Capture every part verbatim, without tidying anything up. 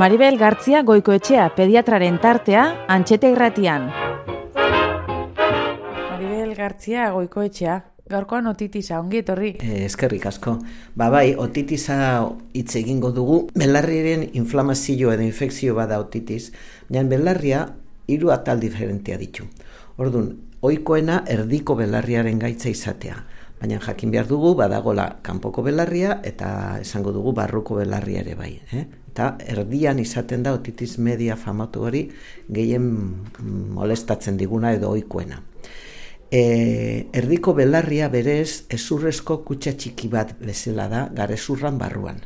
Maribel Gartzia Goikoetxea pediatraren tartea Antxete Irratian. Maribel Gartzia Goikoetxea, gaurkoan otitisa, ongi etorri. Eh, eskerrik asko. Ba bai, otitisa hitz egingo dugu. Belarriaren inflamazio edo infekzio bada otitis, baina belarria hiru atal diferentea ditu. Orduan, ohikoena erdiko belarriaren gaitza izatea. Baina jakin behar dugu, badagola kanpoko belarria eta esango dugu barruko belarria ere bai. Eh? Eta erdian izaten da otitis media famatu hori gehien molestatzen diguna edo ohikoena. E, erdiko belarria berez ezurrezko kutxa txiki bat bezala da garezurran barruan.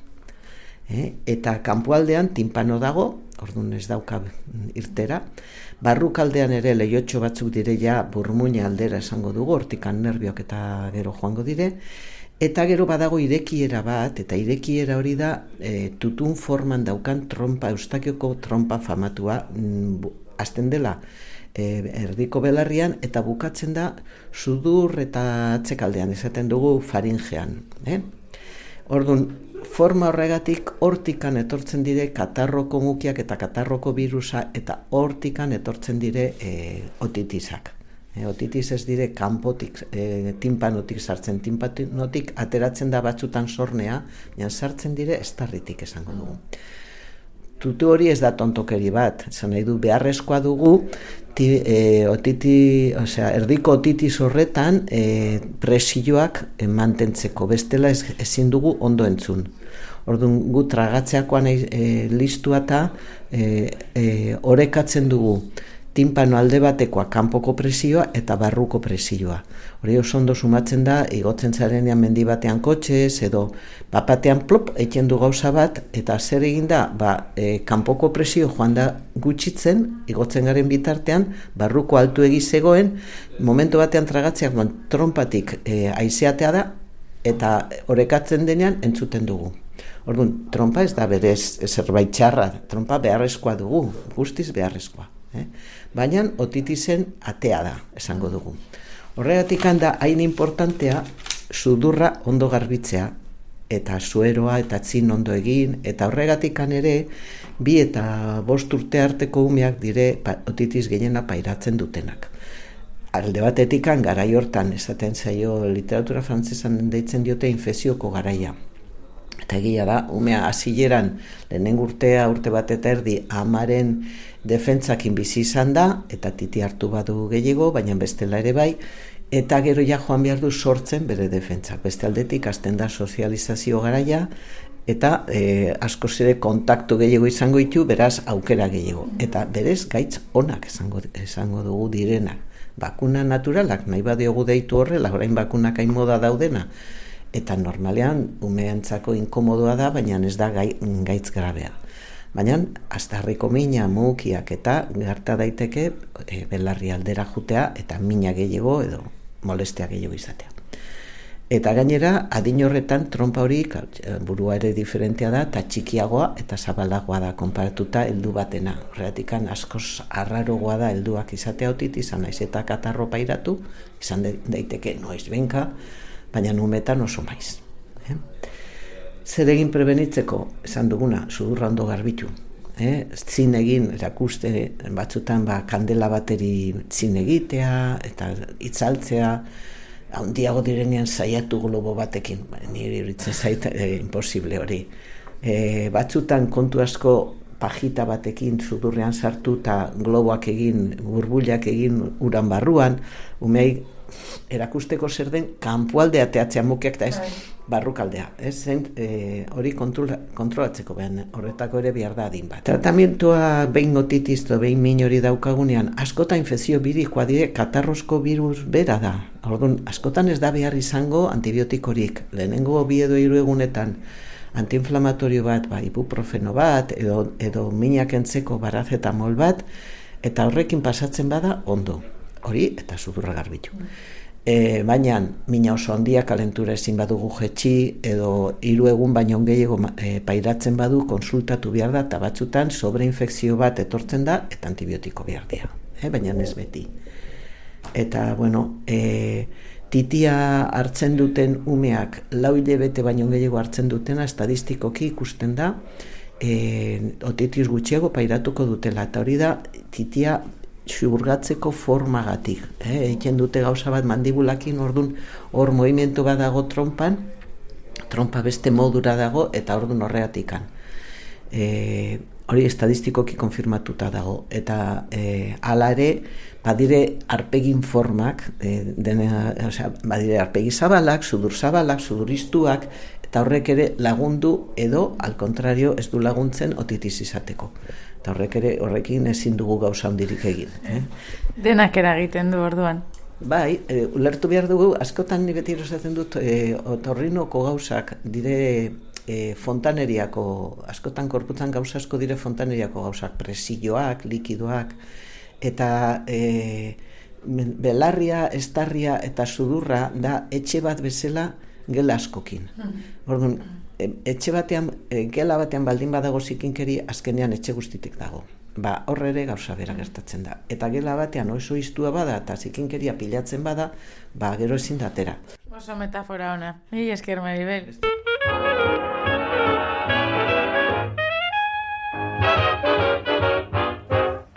E, eta kanpoaldean tinpano dago, orduan ez dauka irtera. Barrukaldean ere lehiotxo batzuk dire ja burmuina aldera esango dugu, hortikan nerbiok eta gero joango dire. Eta gero badago irekiera bat, eta irekiera hori da e, tutun forman daukan trompa, eustakioko trompa famatua, mm, azten dela e, erdiko belarrian, eta bukatzen da sudur eta atzekaldean, esaten dugu faringean. Eh? Orduan, forma horregatik hortikan etortzen dire katarroko mukiak eta katarroko virusa, eta hortikan etortzen dire e, otitisak. E, otitis ez dire kanpotik, e, tinpanotik sartzen, tinpanotik ateratzen da batzutan sornea, baina sartzen dire estarritik esango dugu. Tutu hori ez da tontokeri bat, esan nahi du beharrezkoa dugu, ti, e, otiti, osea, erdiko otitis horretan e, presioak e, mantentzeko, bestela ez, ezin dugu ondo entzun. Orduan gu tragatzeakoan e, listua eta e, e, orekatzen dugu tinpano alde batekoa kanpoko presioa eta barruko presioa. Hori oso ondo sumatzen da, igotzen zarenean mendi batean kotxez, edo bapatean plop, eken du gauza bat, eta zer egin da, ba, e, kanpoko presio joan da gutxitzen, igotzen garen bitartean, barruko altu egizegoen, momentu batean tragatzeak trompatik e, aizeatea da, eta orekatzen denean entzuten dugu. Orduan, trompa ez da berez zerbait txarra, trompa beharrezkoa dugu, guztiz beharrezkoa. Eh? Baina otitisen atea da, esango dugu. Horregatik da hain importantea sudurra ondo garbitzea, eta sueroa eta tzin ondo egin, eta horregatik ere bi eta bost urte arteko umeak dire otitis gehiena pairatzen dutenak. Alde batetik garai hortan, esaten zaio literatura frantzesan deitzen diote infezioko garaia. Eta egia da, umea hasileran lehenengo urtea, urte bat eta erdi, amaren defentzakin bizi izan da, eta titi hartu badu gehiago, baina bestela ere bai, eta gero ja joan behar du sortzen bere defentzak. Beste aldetik, hasten da sozializazio garaia, eta e, asko zere kontaktu gehiago izango ditu, beraz aukera gehiago. Eta berez gaitz onak esango, esango dugu direnak. Bakuna naturalak, nahi badiogu deitu horrela, orain bakunak hain moda daudena, eta normalean umeentzako inkomodoa da, baina ez da gai, gaitz grabea. Baina astarriko mina, mukiak eta gerta daiteke e, belarri aldera jutea eta mina gehiago edo molestea gehiago izatea. Eta gainera, adin horretan trompa hori burua ere diferentea da, eta txikiagoa eta zabalagoa da konparatuta heldu batena. Horregatik askoz arrarogoa da helduak izatea otitis, izan naiz eta katarro pairatu, izan daiteke noiz benka, baina numetan oso maiz. Eh? Zer egin prebenitzeko, esan duguna, sudurra ondo garbitu. Eh? Zin egin, erakuste, batzutan ba, kandela bateri zin egitea, eta itzaltzea, handiago direnean saiatu globo batekin, ba, niri iritzen zait, eh, imposible hori. Eh, batzutan kontu asko pajita batekin sudurrean sartu eta globoak egin, burbuilak egin uran barruan, umei erakusteko zer den kanpoaldea teatzea mukiak eta ez barrukaldea. Ez zen e, hori kontrola, kontrolatzeko behan, horretako ere behar da adin bat. Tratamientoa behin otitis edo behin min hori daukagunean, askota infekzio birikoa dire katarrosko virus bera da. Orduan, askotan ez da behar izango antibiotikorik. Lehenengo bi edo hiru egunetan antiinflamatorio bat, ba, ibuprofeno bat, edo, edo minak entzeko paracetamol bat, eta horrekin pasatzen bada ondo. Hori eta sudurra garbitu. E, baina mina oso handia kalentura ezin badugu jetxi edo hiru egun baino gehiago e, pairatzen badu konsultatu behar da eta batzutan sobreinfekzio bat etortzen da eta antibiotiko behar dira. E, baina ez beti. Eta, bueno, e, titia hartzen duten umeak lau hilabete baino gehiago hartzen dutena estadistikoki ikusten da e, otitis gutxiago pairatuko dutela, eta hori da titia xurgatzeko formagatik. Eh? Egiten dute gauza bat mandibulakin, ordun hor movimentu bat dago trompan, trompa beste modura dago, eta ordun horreatikan. E, hori estadistikoki konfirmatuta dago, eta e, hala ere, badire arpegin formak, e, dena, osea, badire arpegi zabalak, sudur zabalak, suduristuak, eta horrek ere lagundu edo, al contrario, ez du laguntzen otitis izateko. Eta horrek ere, horrekin ezin dugu gauza handirik egin. Eh? Denak eragiten du orduan. Bai, e, ulertu behar dugu, askotan ni beti esaten dut, e, otorrinoko gauzak dire e, fontaneriako, askotan korputzan gauza asko dire fontaneriako gauzak, presioak, likidoak, eta e, belarria, estarria eta sudurra da etxe bat bezala gela askokin. Orduan, etxe batean, gela batean baldin badago zikinkeri, azkenean etxe guztitik dago. Ba, horre ere gauza bera gertatzen da. Eta gela batean oso iztua bada eta zikinkeria pilatzen bada, ba, gero ezin datera. Oso metafora ona. Mila esker, Maribel.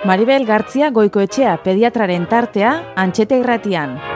Maribel Gartzia Goikoetxea pediatraren tartea Antxeta Irratian.